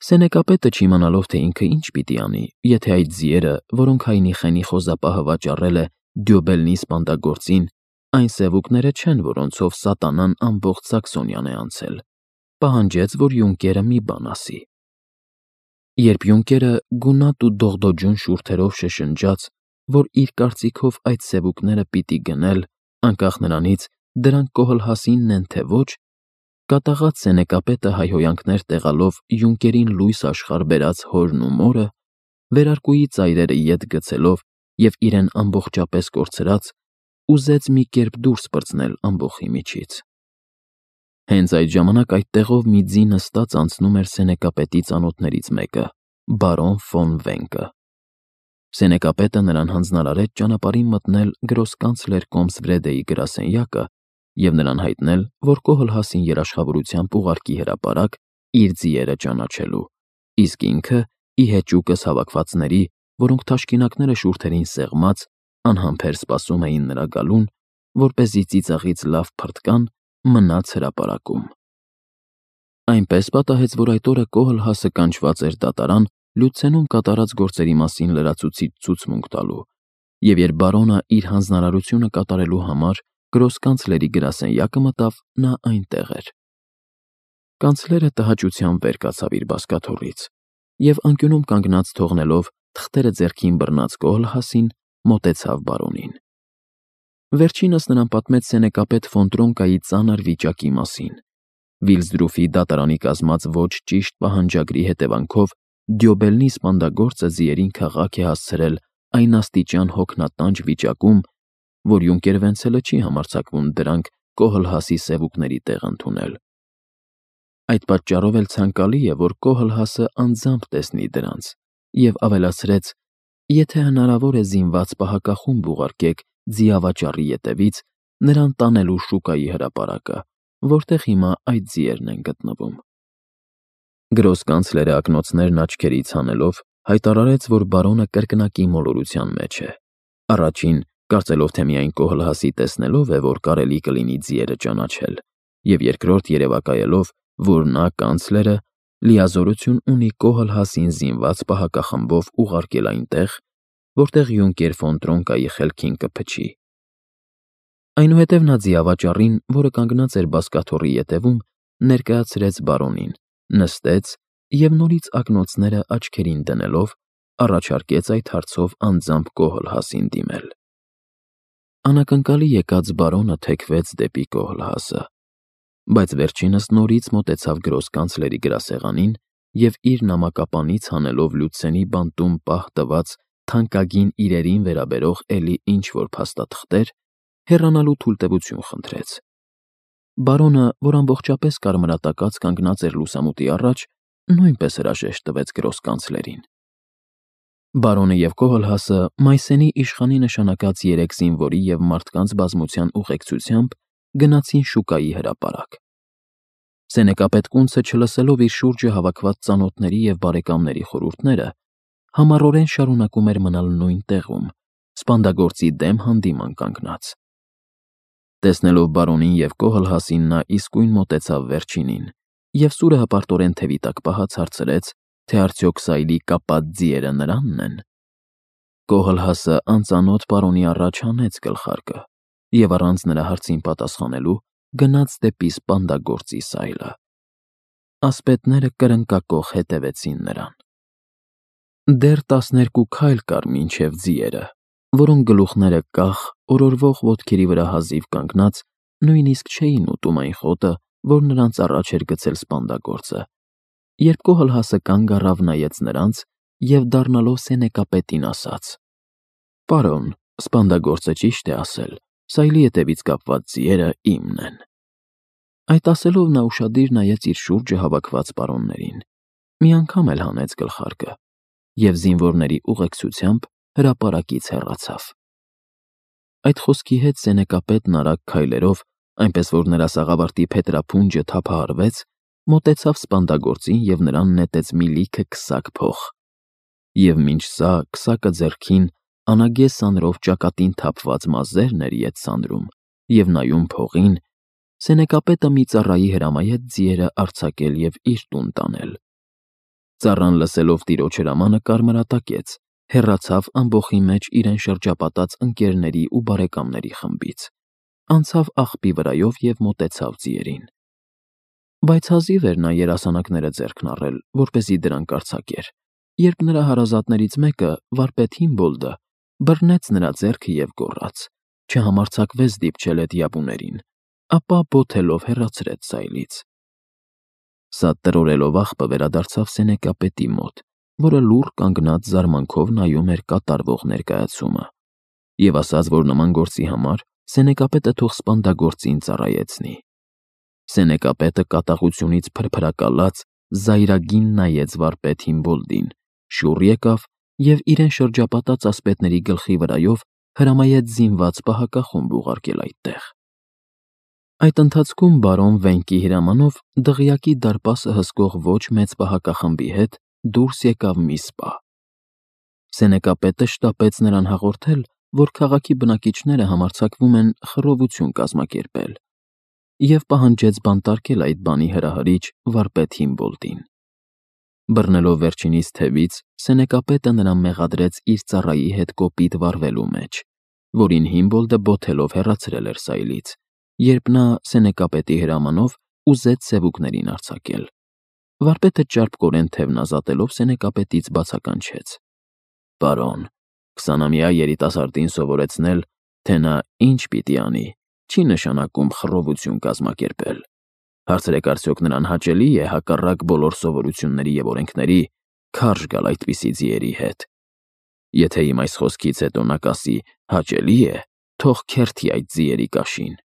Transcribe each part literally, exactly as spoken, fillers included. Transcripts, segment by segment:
Սենեկապետը չիմանալով, թե ինքը ինչ պիտի անի, եթե այդ ձիերը, որոնք հայնի խենի խոզապահը վաճառել է Դյոբելնի սպանդագործին, այն սևուկները չեն, որոնցով սատանան ամբողջ Սաքսոնիան է անցել, պահանջեց, որ յունկերը մի բան ասի։ Երբ յունկերը գունատ ու դողդոջուն շուրթերով շշնջաց, որ իր կարծիքով այդ սևուկները պիտի գնել, անկախ նրանից դրանք կոհլհասինն են, թե ոչ, կատաղած սենեկապետը հայհոյանքներ տեղալով յունկերին լույս աշխարհ բերած հորն ու մորը, վերարկուի ծայրերը ետ գցելով և իրեն ամբողջապես կորցրած, ուզեց մի կերպ դուրս պրծնել ամբոխի միջից։ Հենց այդ ժամանակ այդտեղով մի ձի նստած անցնում էր սենեկապետի ծանոթներից մեկը, բարոն ֆոն Վենկը։ Սենեկապետը նրան հանձնարարեց ճանապարհին մտնել գրոսկանցլեր Կոմսվրեդեի գրասենյակը և նրան հայտնել, որ Կոհլհասին երաշխավորությամբ ուղարկի հրապարակ իր ձիերը ճանաչելու, իսկ ինքը ի հեճուկս հավաքվածների, որոնք թաշկինակները շուրթերին սեղմած, անհամբեր սպասում էին նրա գալուն, որպեսզի ծիծաղից լավ փրկան, մնաց հրապարակում։ Այնպես պատահեց, որ այդ օրը Կոհլհասը կանչված էր դատարան Լյուցենում կատարած գործերի մասին լրացուցիչ ցուցմունք տալու, և երբ բարոնը իր հանձնարարությունը կատարելու համար գրոսկանցլերի գրասենյակը մտավ, նա այնտեղ էր։ Կանցլերը տհաճությամբ վեր կացավ իր բազկաթոռից և անկյունում կանգնած թողնելով թղթերը ձեռքին բռնած Կոհլհասին, մոտեցավ բարոնին։ Վերջինս նրան պատմեց սենեկապետ ֆոն Տրոնկայի ծանր վիճակի մասին։ Վիլսդրուֆի դատարանի կազմած ոչ ճիշտ պահանջագրի հետևանքով Դյոբելնի սպանդագործը ձիերին քաղաք է հասցրել այն աստիճան հոգնատանջ վիճակում, որ յունկեր Վենցելը չի համարձակվում դրանք Կոհլհասի սևուկների տեղ ընդունել։ Այդ պատճառով էլ ցանկալի է, որ Կոհլհասը անձամբ տեսնի դրանց, և ավելացրեց. եթե հնարավոր է զինված պահակախումբ ուղարկեք ձիավաճառի ետևից, նրան տանելու շուկայի հրապարակը, որտեղ հիմա այդ ձիերն են գտնվում։ Գրոսկանցլերը ակնոցներն աչքերից հանելով, հայտարարեց, որ բարոնը կրկնակի մոլորության մեջ է։ Առաջին, կարծելով, թե միայն Կոհլհասի տեսնելով է, որ կարելի կլինի ձիերը ճանաչել, և երկրորդ երևակայելով, որ նա, կանցլերը, լիազորություն ունի Կոհլհասին զինված պահակախմբով ուղարկել այնտեղ, որտեղ յունկեր ֆոն Տրոնկայի խելքին կփչի։ Այնուհետև նա ձիավաճառին, որը կանգնած էր բազկաթոռի ետևում, ներկայացրեց բարոնին, նստեց և նորից ակնոցները աչքերին դնելով, առաջարկեց այդ հարցով անձամբ Կոհլհասին դիմել։ Անակնկալի եկած բարոնը թեքվեց դեպի Կոհլհասը, բայց վերջինս նորից մոտեցավ գրոսկանցլերի գրասեղանին և իր նամակապանից հանելով Լյուցենի բանտում պահ տված թանկագին իրերին վերաբերող էլի ինչ-որ փաստաթղթեր, հեռանալու թույլտվություն խնդրեց։ Բարոնը, որ ամբողջապես կարմրատակած կանգնած էր լուսամուտի առաջ, նույնպես հրաժեշտ տվեց գրոսկանցլերին։ Բարոնը և Կոհլհասը մայիսենի իշխանի նշանակած երեք զինվորի և մարդկանց բազմության ուղեկցությամբ գնացին շուկայի հրապարակ։ Սենեկապետ կունցը, չլսելով իր շուրջը հավաքված ծանոթների և բարեկամների խորհուրդները, համառորեն շարունակում էր մնալ նույն տեղում, սպանդագործի դեմ հանդիման կանգնած։ Տեսնելով բարոնին և Կոհլհասին, նա իսկույն մոտեցավ վերջինին և սուրը հպարտորեն թևի տակ պահած հարցրեց, թե արդյոք սայլի կապած ձիերը նրանն են։ Կոհլհասը անծանոթ պարոնի առաջ հանեց գլխարկը և առանց նրա հարցին պատասխանելու գնաց դեպի սպանդագործի սայլը։ Ասպետները կրնկակոխ հետևեցին նրան։ Դեռ տասներկու քայլ կար մինչև ձիերը, որոնք գլուխները կախ, օրորվող ոտքերի վրա հազիվ կանգնած, նույնիսկ չէին ուտում այն խոտը, որ նրանց առաջ էր գցել սպանդագործը, երբ Կոհլհասը կանգ առավ, նայեց նրանց և դառնալով սենեկապետին ասաց. «Պարոն, սպանդագործը ճիշտ է ասել, սայլի ետևից կապված ձիերը իմն են»։ Այդ ասելով նա ուշադիր նայեց իր շուրջը հավաքված պարոններին, մի անգամ էլ հանեց գլխարկը և զինվորների ուղեկցությամբ հրապարակից հեռացավ։ Այդ խոսքի հետ սենեկապետն արագ քայլերով, այնպես որ նրա սաղավարտի փետրափունջը թափահարվեց, մոտեցավ սպանդագործին և նրան նետեց մի լիքը քսակ փող։ Եվ մինչ սա, քսակը ձեռքին, անագե սանրով ճակատին թափված մազերն էր ետ սանրում և նայում փողին, սենեկապետը մի ծառայի հրամայեց ձիերը արձակել և իր տուն տանել։ Ծառան լսելով տիրոջ հրամանը կարմրատակեց, հեռացավ ամբոխի մեջ իրեն շրջապատած ընկերների ու բարեկամների խմբից, անցավ աղբի վրայով և մոտեցավ ձիերին։ Բայց հազիվ էր նա երասանակները ձեռքն առել, որպեսզի դրանք արձակեր, երբ նրա հարազատներից մեկը, վարպետ Հիմբոլդը, բռնեց նրա ձեռքը և գոռաց, չհամարձակվեց դիպչել էդ յաբուներին, ապա բոթելով հեռացրեց սայլից։ Սա տրորելով աղբը վերադարձավ Սենեկապետի մոտ, որը լուռ կանգնած զարմանքով նայում էր կատարվող ներկայացումը, և ասաց, որ նման գործի համար Սենեկապետը թող սպանդագործին ծառայեցնի։ Սենեկապետը կատաղությունից փրփրակալած զայրագին նայեց վարպետ Հիմբոլդին, շուռ եկավ և իրեն շրջապատած ասպետների գլխի վրայով հրամայեց զինված պահակախումբ ուղարկել այդտեղ։ Այդ ընթացքում բարոն Վենկի հրամանով դղյակի դարպասը հսկող ոչ մեծ պահակախմբի հետ դուրս եկավ մի սպա։ Սենեկապետը շտապեց նրան հաղորդել, որ քաղաքի բնակիչները համարձակվում են խռովություն կազմակերպել, և պահանջեց բանտարկել այդ բանի հրահրիչ վարպետ Հիմբոլդին։ Բռնելով վերջինիս թևից, Սենեկապետը նրան մեղադրեց իր ծառայի հետ կոպիտ վարվելու մեջ, որին Հիմբոլդը բոթելով հեռացրել էր սայլից, երբ նա Սենեկապետի հրամանով ուզեց սևուկներին արձակել։ Վարպետը ճարպկորեն թևն ազատելով Սենեկապետից բացականչեց. «Պարոն, քսանամյա երիտասարդին սովորեցնել, թե նա ինչ պիտի անի, չի նշանակում խռովություն կազմակերպել։ Հարցրեք արդյոք նրան հաճելի՞ է հակառակ բոլոր սովորությունների և օրենքների քարշ գալ այդպիսի ձիերի հետ։ Եթե իմ այս խոսքից հետո նա կասի հաճելի է, թող քերթի այդ ձիերի կաշին»։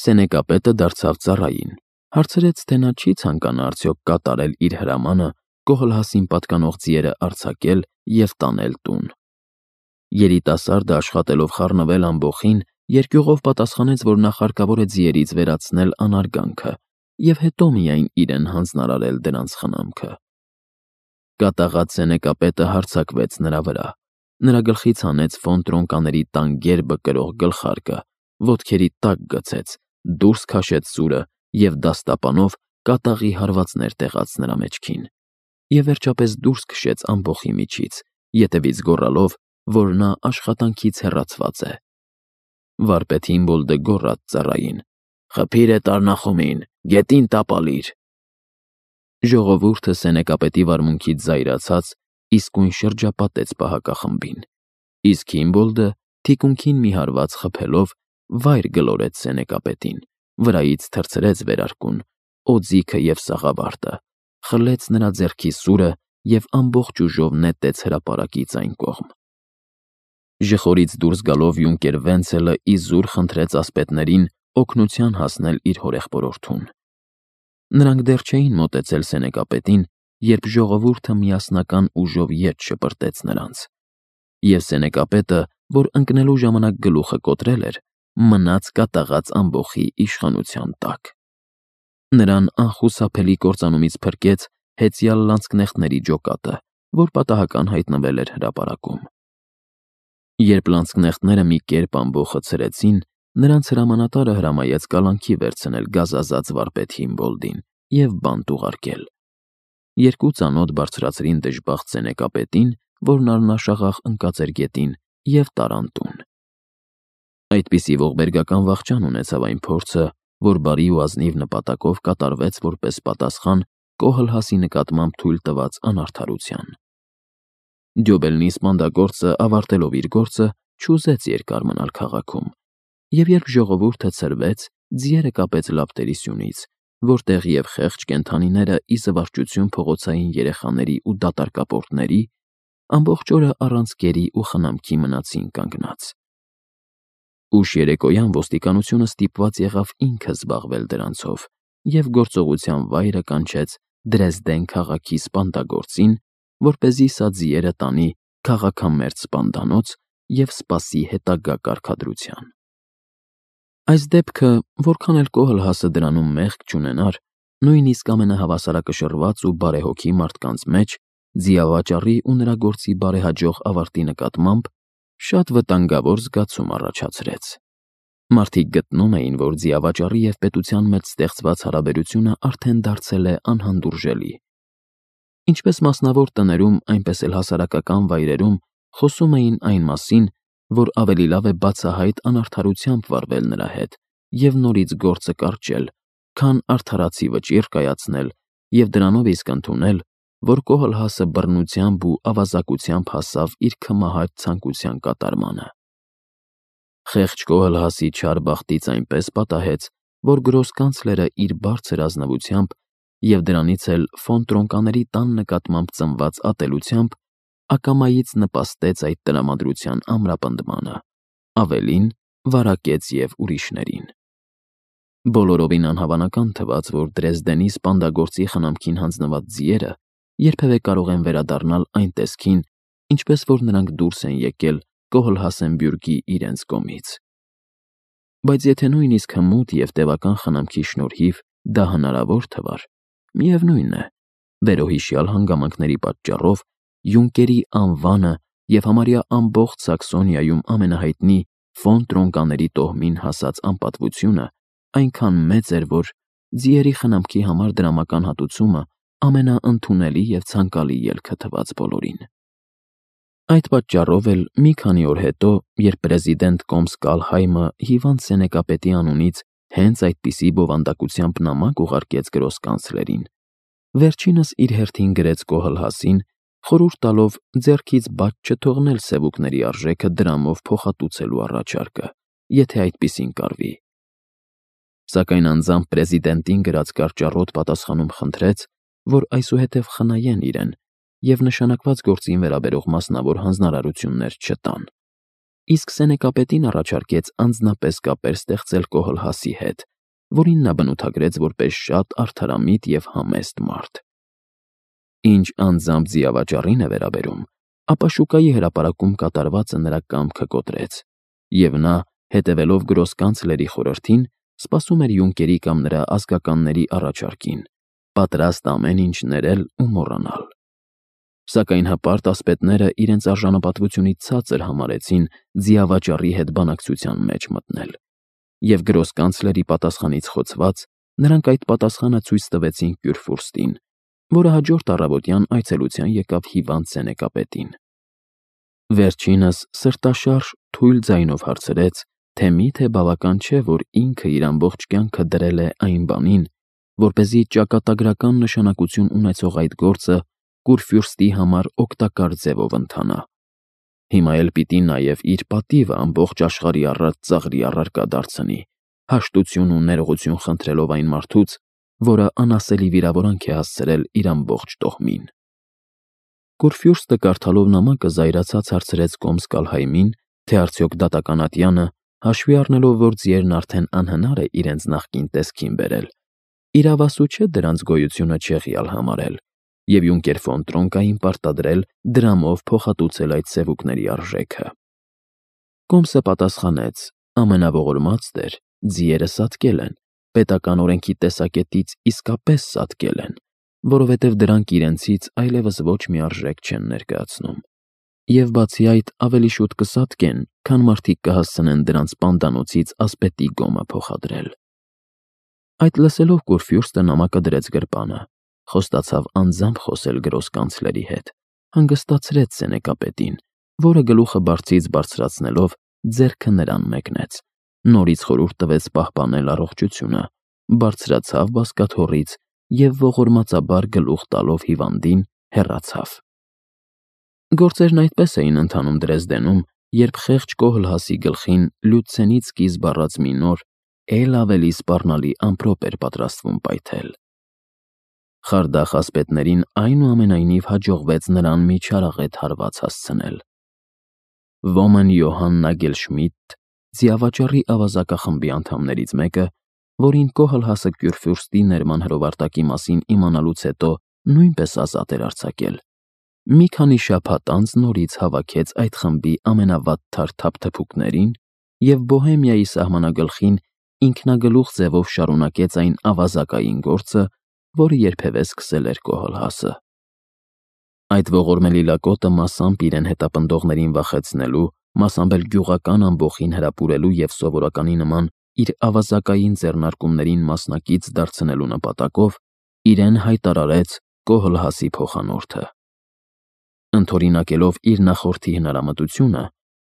Սենեկապետը դարձավ ծառային, հարցրեց, թե նա չի ցանկանա արդյոք կատարել իր հրամանը Կոհլհասին պատկանող ձիերը արձակել և տանել տուն։ Երիտասարդը, աշխատելով խառնվել ամբոխին, երկյուղով պատասխանեց, որ նախ հարկավոր է ձիերից վերացնել անարգանքը և հետո միայն իրեն հանձնարարել դրանց խնամքը։ Կատաղած Սենեկապետը հարձակվեց նրա վրա, նրա գլխից հանեց ֆոնտրոնկաների տան գերբը կրող գլխարկը, ոտքերի տակ գցեց, դուրս քաշեց սուրը և դաստապանով կատաղի հարվածներ տեղաց նրա մեջքին, և վերջապես դուրս քշեց ամբոխի միջից, ետևից գոռալով, որ նա աշխատանքից հեռացված է։ Վարպետ Հիմբոլդը գոռաց ծառային. «Խփիր էդ առնախումին, գետին տապալիր»։ Ժողովուրդը Սենեկապետի վարմունքից զայրացած իսկույն շրջապատեց պահակախմբին, իսկ Հիմբոլդը, թիկունքին մի հարված խփելով, վայր գլորեց Սենեկապետին, վրայից թռցրեց վերարկուն, օձիքը և սաղավարտը, խլեց նրա ձեռքի սուրը և ամբողջ ուժով նետեց հրապարակից այն կողմ։ Ժխորից դուրս գալով յունկեր Վենցելը իզուր խնդրեց ասպետներին օգնության հասնել իր հորեղբորորդուն։ Նրանք դեռ չէին մոտեցել Սենեկապետին, երբ ժողովուրդը միասնական ուժով ետ շպրտեց նրանց, և Սենեկապետը, որ ընկնելու ժամանակ գլուխը կոտրել էր, մնաց կատաղած ամբոխի իշխանության տակ։ Նրան անխուսափելի կործանումից փրկեց հեծյալ լանցկնեխտների ջոկատը, որ պատահական հայտնվել էր հրապարակում։ Երբ լանցկնեխտները մի կերպ ամբոխը ցրեցին, նրանց հրամանատարը հրամայեց կալանքի վերցնել գազազած վարպետ Հիմբոլդին և բանտ ուղարկել։ Երկու ծանոթ բարձրացրին դժբախտ Սենեկապետին, որն առնաշաղախ ընկած էր գետին, և տարան տուն։ Այդպիսի ողբերգական վախճան ունեցավ այն փորձը, որ բարի ու ազնիվ նպատակով կատարվեց որպես պատասխան Կոհլհասի նկատմամբ թույլ տված անարդարության։ Դյոբելնի սպանդագործը, ավարտելով իր գործը, չուզեց երկար մնալ քաղաքում, և երբ ժողովուրդը ցրվեց, ձիերը կապեց լապտերի սյունից, որտեղ և խեղճ կենդանիները ի զվարճություն փողոցային երեխաների ու դատարկապորտների ամբողջ օրը առանց կերի ու խնամքի մնացին կանգնած։ Ուշ երեկոյան ոստիկանությունը ստիպված եղավ ինքը զբաղվել դրանցով և գործողության վայրը կանչեց Դրեզդեն քաղաքի սպանդագործին, որպեսզի սա ձիերը տանի քաղաքամերձ սպանդանոց և սպասի հետագա կարգադրության։ Այս դեպքը, որքան էլ Կոհլհասը դրանում մեղք չունենար, նույնիսկ ամենահավասարակշռված ու բարեհոգի մարդկանց մեջ ձիավաճառի ու նրա գործի բարեհաջող ավարտի նկատմամբ շատ վտանգավոր զգացում առաջացրեց։ Մարդիկ գտնում էին, որ ձիավաճառի և պետության մեջ ստեղծված հարաբերությունը արդեն դարձել է անհանդուրժելի։ Ինչպես մասնավոր տներում, այնպես էլ հասարակական վայրերում խոսում էին այն մասին, որ ավելի լավ է բացահայտ անարդարությամբ վարվել նրա հետ և նորից գործը կարճել, քան արդարացի վճիռ կայացնել և դրանով իսկ ընդունել, որ Կոհլհասը բռնությամբ ու ավազակությամբ հասավ իր քմահաճ ցանկության կատարմանը։ Խեղճ Կոհլհասի չար բախտից այնպես պատահեց, որ գրոսկանցլերը իր բարձր ազնվությամբ և դրանից էլ ֆոն Տրոնկաների տան նկատմամբ ծնված ատելությամբ ակամայից նպաստեց այդ տրամադրության ամրապնդմանը, ավելին, վարակեց և ուրիշներին։ Բոլորովին անհավանական թվաց, որ Դրեզդենի սպանդագործի խնամքին հանձնված ձիերը երբևէ կարող են վերադառնալ այն տեսքին, ինչպես որ նրանք դուրս են եկել Կոհլհասենբյուրգի իրենց կողմից։ Բայց եթե նույնիսկ հմուտ և տևական խնամքի շնորհիվ դա հնարավոր թվար, միևնույն է, վերոհիշյալ հանգամանքների պատճառով Յունկերի անվանը և համարյա ամբողջ Սաքսոնիայում ամենահայտնի ֆոն Տրոնկաների տոհմին հասած անպատվությունը այնքան մեծ էր, որ ձիերի խնամքի համար դրամական հատուցումը ամենաընդունելի և ցանկալի ելքը թվաց բոլորին։ Այդ պատճառով էլ մի քանի օր հետո, երբ պրեզիդենտ Կոմս Կալհայմը հիվանդ սենեկապետի անունից հենց այդպիսի բովանդակությամբ նամակ ուղարկեց գրոսկանցլերին, վերջինս իր հերթին գրեց Կոհլհասին, խորհուրդ տալով ձեռքից բաց չթողնել սևուկների արժեքը դրամով փոխհատուցելու առաջարկը, եթե այդպիսին կարվի։ Սակայն անձամբ պրեզիդենտին գրած կարճառոտ պատասխանում խնդրեց, որ այսուհետև խնայեն իրեն և նշանակված գործին վերաբերող մասնավոր հանձնարարություններ չտան, իսկ սենեկապետին առաջարկեց անձնապես կապեր ստեղծել Կոհլհասի հետ, որին նա բնութագրեց որպես շատ արդարամիտ և համեստ մարդ։ Ինչ անձամբ ձիավաճառին է վերաբերում, ապա շուկայի հրապարակում կատարվածը նրա կամքը կոտրեց, և նա, հետևելով գրոսկանցլերի խորհրդին, սպասում էր Յունկերի կամ նրա ազգականների առաջարկին, պատրաստ ամեն ինչ ներել ու մոռանալ։ Սակայն հպարտ ասպետները իրենց արժանապատվությունից ցածր համարեցին ձիավաճառի հետ բանակցության մեջ մտնել, և գրոսկանցլերի պատասխանից խոցված նրանք այդ պատասխանը ցույց տվեցին Կյուրֆուրստին, որը հաջորդ առավոտյան այցելության եկավ հիվանդ սենեկապետին։ Վերջինս սրտաշարժ թույլ ձայնով հարցրեց, թե միթե բավական չէ, որ ինքը իր ամբողջ կյանքը դրել է այն բանին, որպեսզի ճակատագրական նշանակություն ունեցող այդ գործը Կուրֆյուրստի համար օգտակար ձևով ընթանա։ Հիմա էլ պիտի նաև իր պատիվը ամբողջ աշխարհի առաջ ծաղրի առարկա դարձնի, հաշտություն ու ներողություն խնդրելով այն մարդուց, որը անասելի վիրավորանք է հասցրել իր ամբողջ տոհմին։ Կուրֆյուրստը կարդալով նամակը զայրացած հարցրեց Կոմս Կալհայմին, թե արդյոք դատական ատյանը, հաշվի առնելով, որ ձիերն արդեն անհնար է իրենց նախկին տեսքին բերել, իրավասու չէ դրանց գոյությունը չեղյալ համարել և Յունկեր ֆոն Տրոնկային պարտադրել դրամով փոխհատուցել այդ սևուկների արժեքը։ Կոմսը պատասխանեց. ամենաողորմած տեր, ձիերը սատկել են, պետական օրենքի տեսակետից իսկապես սատկել են, որովհետև դրանք իրենցից այլևս ոչ մի արժեք չեն ներկայացնում, և բացի այդ ավելի շուտ կսատկեն, քան մարդիկ կհասցնեն դրանց պանդանոցից ասպետի գոմը փոխադրել։ Այդ լսելով Կուրֆյուրստը նամակը դրեց գրպանը, խոստացավ անձամբ խոսել գրոսկանցլերի հետ, հանգստացրեց սենեկապետին, որը գլուխը բարձից բարձրացնելով ձեռքը նրան մեկնեց, նորից խորհուրդ տվեց պահպանել առողջությունը, բարձրացավ բազկաթոռից և ողորմածաբար գլուխ տալով հիվանդին հեռացավ։ Գործերն այդպես էին ընթանում Դրեզդենում, երբ խեղճ Կոհլհասի գլխին Լյուցենից սկիզբ առած մի նոր, էլ ավելի սպառնալի ամպրոպ էր պատրաստվում պայթել։ Խարդախ ասպետներին այնուամենայնիվ հաջողվեց նրան մի չարաղետ հարված հասցնել։ Ոմն Յոհան Նագելշմիդտ, ձիավաճառի ավազակախմբի անդամներից մեկը, որին Կոհլհասը Կյուրֆյուրստի ներման հրովարտակի մասին իմանալուց հետո նույնպես ազատ էր արձակել, մի քանի շաբաթ անց նորից հավաքեց այդ խմբի ամենավատթար թափթփուկներին և Բոհեմիայի սահմանագլխին ինքնագլուխ ձևով շարունակեց այն ավազակային գործը, որը երբևէ սկսել էր Կոհլհասը։ Այդ ողորմելի լակոտը մասամբ իրեն հետապնդողներին վախեցնելու, մասամբ էլ գյուղական ամբոխին հրապուրելու և սովորականի նման իր ավազակային ձեռնարկումներին մասնակից դարձնելու նպատակով իրեն հայտարարեց, Կոհլհասի փոխանորդը։ Ընդօրինակելով իր նախորդի հնարամտությունը,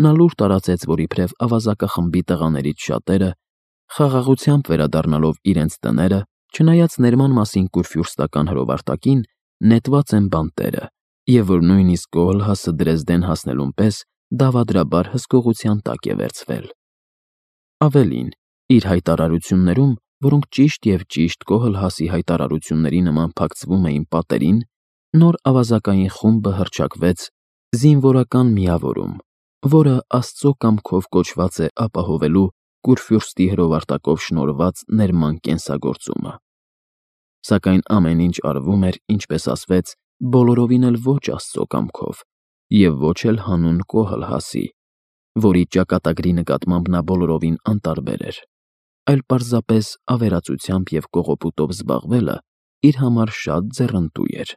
նա լուր տարածեց, որ իբրև ավազակախմբի տղաներից շատերը, խաղաղությամբ վերադառնալով իրենց տները, չնայած ներման մասին կուրֆյուրստական հրովարտակին, նետված են բանտերը, և որ նույնիսկ Կոհլհասը Դրեզդեն հասնելուն պես դավադրաբար հսկողության տակ է վերցվել։ Ավելին, իր հայտարարություններում, որոնք ճիշտ և ճիշտ Կոհլհասի հայտարարությունների նման փակցվում էին պատերին, նոր ավազակային խումբը հռչակվեց զինվորական միավորում, որը Աստծո կամքով կոչված է ապահովելու Կուրֆյուրստի հրովարտակով շնորհված ներման կենսագործումը։ Սակայն ամեն ինչ արվում էր, ինչպես ասվեց, բոլորովին էլ ոչ Աստծո կամքով, և ոչ էլ հանուն Կոհլհասի, որի ճակատագրի նկատմամբ նա բոլորովին անտարբեր էր, այլ պարզապես ավերածությամբ և կողոպուտով զբաղվելը իր համար շատ ձեռնտու էր։